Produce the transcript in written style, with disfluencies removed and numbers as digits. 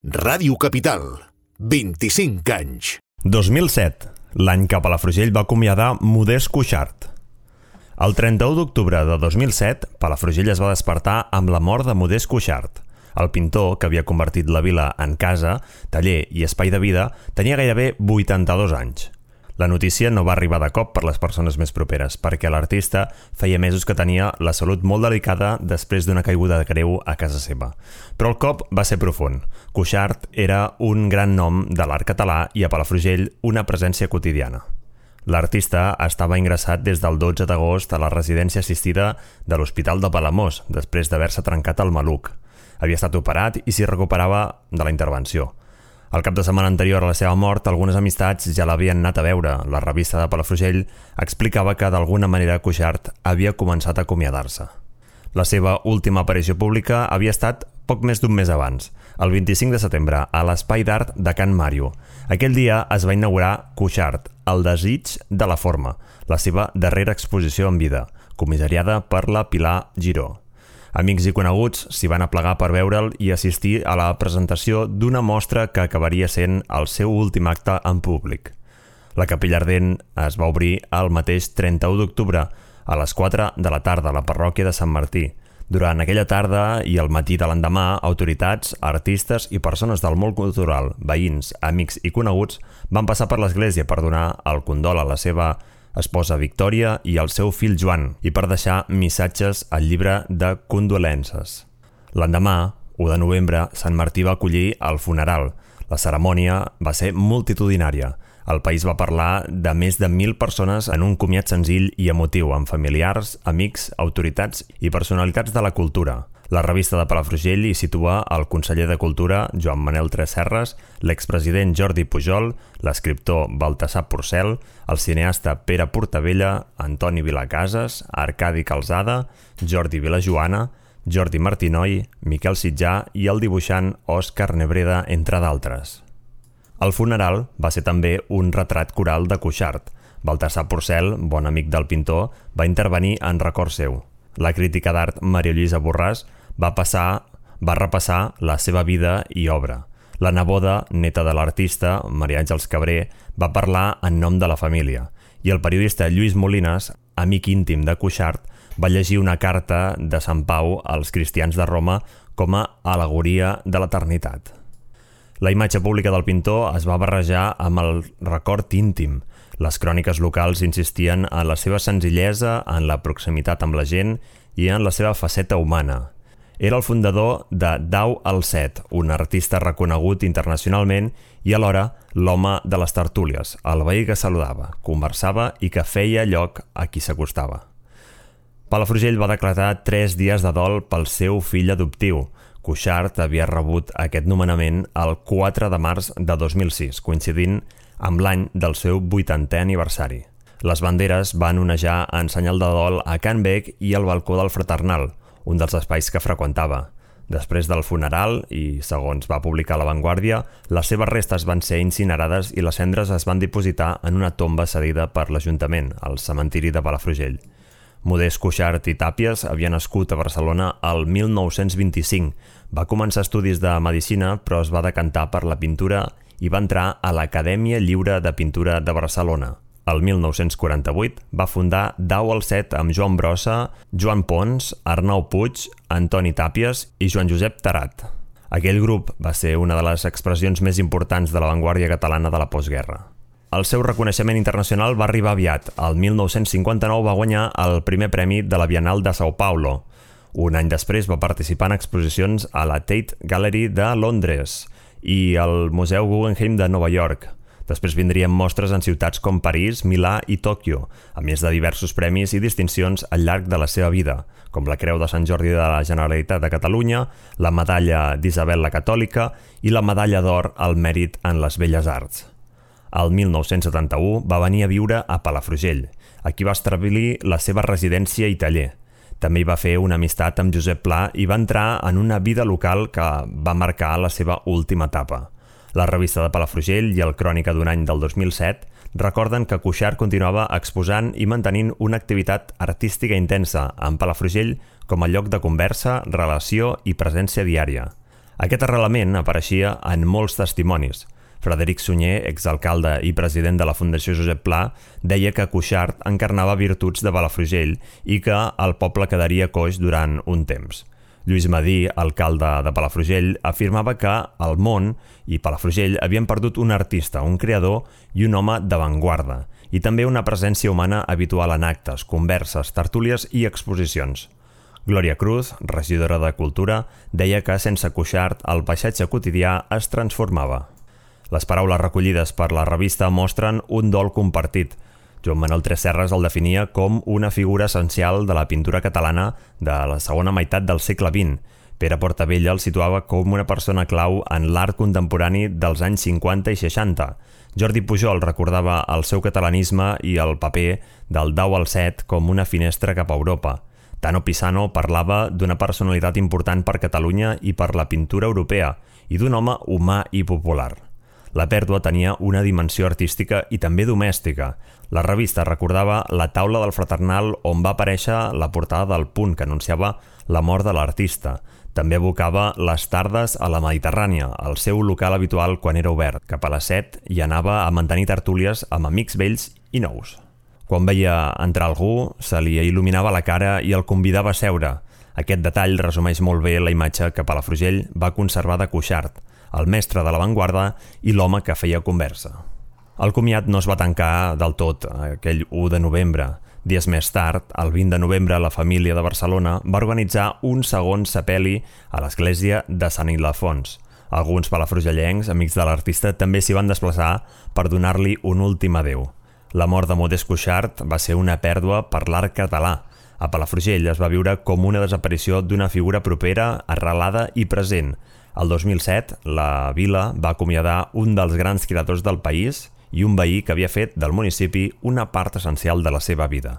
Ràdio Capital, 25 anys. 2007, l'any que Palafrugell va acomiadar Modest Cuixart. El 31 d'octubre de 2007, Palafrugell es va despertar amb la mort de Modest Cuixart. El pintor, que havia convertit la vila en casa, taller i espai de vida, tenia gairebé 82 anys. La notícia no va arribar de cop per les persones més properes, perquè l'artista feia mesos que tenia la salut molt delicada després d'una caiguda de greu a casa seva. Però el cop va ser profund. Cuixart era un gran nom de l'art català i a Palafrugell una presència quotidiana. L'artista estava ingressat des del 12 d'agost a la residència assistida de l'Hospital de Palamós, després d'haver-se trencat el maluc. Havia estat operat i s'hi recuperava de la intervenció. El cap de setmana anterior a la seva mort, algunes amistats ja l'havien anat a veure. La revista de Palafrugell explicava que d'alguna manera Cuixart havia començat a acomiadar-se. La seva última aparició pública havia estat poc més d'un mes abans, el 25 de setembre, a l'Espai d'Art de Can Màrio. Aquell dia es va inaugurar Cuixart, el desig de la forma, la seva darrera exposició en vida, comissariada per la Pilar Giró. Amics i coneguts s'hi van aplegar per veure'l i assistir a la presentació d'una mostra que acabaria sent el seu últim acte en públic. La Capella Ardent es va obrir el mateix 31 d'octubre a les 4 de la tarda a la parròquia de Sant Martí. Durant aquella tarda i el matí de l'endemà, autoritats, artistes i persones del món cultural, veïns, amics i coneguts van passar per l'església per donar el condol a la seva esposa Victòria i al seu fill Joan, i per deixar missatges al llibre de condolences. L'endemà, 1 de novembre, Sant Martí va acollir el funeral. La cerimònia va ser multitudinària. El país va parlar de més de 1.000 persones en un comiat senzill i emotiu, amb familiars, amics, autoritats i personalitats de la cultura. La revista de Palafrugell hi situa el conseller de Cultura, Joan Manel Tresserras, l'expresident Jordi Pujol, l'escriptor Baltasar Porcel, el cineasta Pere Portabella, Antoni Vilacases, Arcadi Calzada, Jordi Vilajoana, Jordi Martinoy, Miquel Sitjà i el dibuixant Òscar Nebreda, entre d'altres. El funeral va ser també un retrat coral de Cuixart. Baltasar Porcel, bon amic del pintor, va intervenir en record seu. La crítica d'art Maria Lluïsa Borràs va repassar la seva vida i obra. La neboda, neta de l'artista, Maria Àngels Cabré, va parlar en nom de la família. I el periodista Lluís Molinas, amic íntim de Cuixart, va llegir una carta de Sant Pau als cristians de Roma com a al·legoria de l'eternitat. La imatge pública del pintor es va barrejar amb el record íntim. Les cròniques locals insistien en la seva senzillesa, en la proximitat amb la gent i en la seva faceta humana. Era el fundador de Dau al Set, un artista reconegut internacionalment i alhora l'home de les tertúlies, el veí que saludava, conversava i que feia lloc a qui s'acostava. Palafrugell va decretar 3 dies de dol pel seu fill adoptiu. Cuixart havia rebut aquest nomenament el 4 de març de 2006, coincidint amb l'any del seu 80è aniversari. Les banderes van onejar en senyal de dol a Can Bec i al balcó del Fraternal, un dels espais que freqüentava. Després del funeral, i segons va publicar La Vanguardia, les seves restes van ser incinerades i les cendres es van dipositar en una tomba cedida per l'Ajuntament, al cementiri de Palafrugell. Modest Cuixart i Tàpies havia nascut a Barcelona el 1925. Va començar estudis de medicina, però es va decantar per la pintura i va entrar a l'Acadèmia Lliure de Pintura de Barcelona. El 1948 va fundar Dau al Set amb Joan Brossa, Joan Pons, Arnau Puig, Antoni Tàpies i Joan Josep Tarat. Aquell grup va ser una de les expressions més importants de l'avantguàrdia catalana de la postguerra. El seu reconeixement internacional va arribar aviat. El 1959 va guanyar el primer premi de la Bienal de São Paulo. Un any després va participar en exposicions a la Tate Gallery de Londres i al Museu Guggenheim de Nova York. Després vindrien mostres en ciutats com París, Milà i Tòquio, a més de diversos premis i distincions al llarg de la seva vida, com la Creu de Sant Jordi de la Generalitat de Catalunya, la Medalla d'Isabel la Catòlica i la Medalla d'Or al Mèrit en les Belles Arts. El 1971 va venir a viure a Palafrugell. Aquí va establir la seva residència i taller. També hi va fer una amistat amb Josep Pla i va entrar en una vida local que va marcar la seva última etapa. La revista de Palafrugell i el Crònica d'un any del 2007 recorden que Cuixart continuava exposant i mantenint una activitat artística intensa, amb Palafrugell com a lloc de conversa, relació i presència diària. Aquest arrelament apareixia en molts testimonis. Frederic Sunyer, exalcalde i president de la Fundació Josep Pla, deia que Cuixart encarnava virtuts de Palafrugell i que el poble quedaria coix durant un temps. Lluís Madí, alcalde de Palafrugell, afirmava que el món i Palafrugell havien perdut un artista, un creador i un home d'avantguarda, i també una presència humana habitual en actes, converses, tertúlies i exposicions. Glòria Cruz, regidora de Cultura, deia que sense Cuixart el paisatge quotidià es transformava. Les paraules recollides per la revista mostren un dol compartit. Joan Manuel Tresserras el definia com una figura essencial de la pintura catalana de la segona meitat del segle XX. Pere Portabella el situava com una persona clau en l'art contemporani dels anys 50 i 60. Jordi Pujol recordava el seu catalanisme i el paper del Dau al Set com una finestra cap a Europa. Tano Pisano parlava d'una personalitat important per Catalunya i per la pintura europea i d'un home humà i popular. La pèrdua tenia una dimensió artística i també domèstica. La revista recordava la taula del Fraternal on va aparèixer la portada del Punt que anunciava la mort de l'artista. També evocava les tardes a la Mediterrània, el seu local habitual quan era obert. Cap a les 7 hi anava a mantenir tertúlies amb amics vells i nous. Quan veia entrar algú, se li il·luminava la cara i el convidava a seure. Aquest detall resumeix molt bé la imatge que Palafrugell va conservar de Cuixart, el mestre de l'avantguarda i l'home que feia conversa. El comiat no es va tancar del tot aquell 1 de novembre. Dies més tard, el 20 de novembre, la família de Barcelona va organitzar un segon sepeli a l'església de Sant Ildefons. Alguns palafrugellencs, amics de l'artista, també s'hi van desplaçar per donar-li un últim adéu. La mort de Modest Cuixart va ser una pèrdua per l'art català. A Palafrugell es va viure com una desaparició d'una figura propera, arrelada i present. El 2007, la vila va acomiadar un dels grans creadors del país i un veí que havia fet del municipi una part essencial de la seva vida.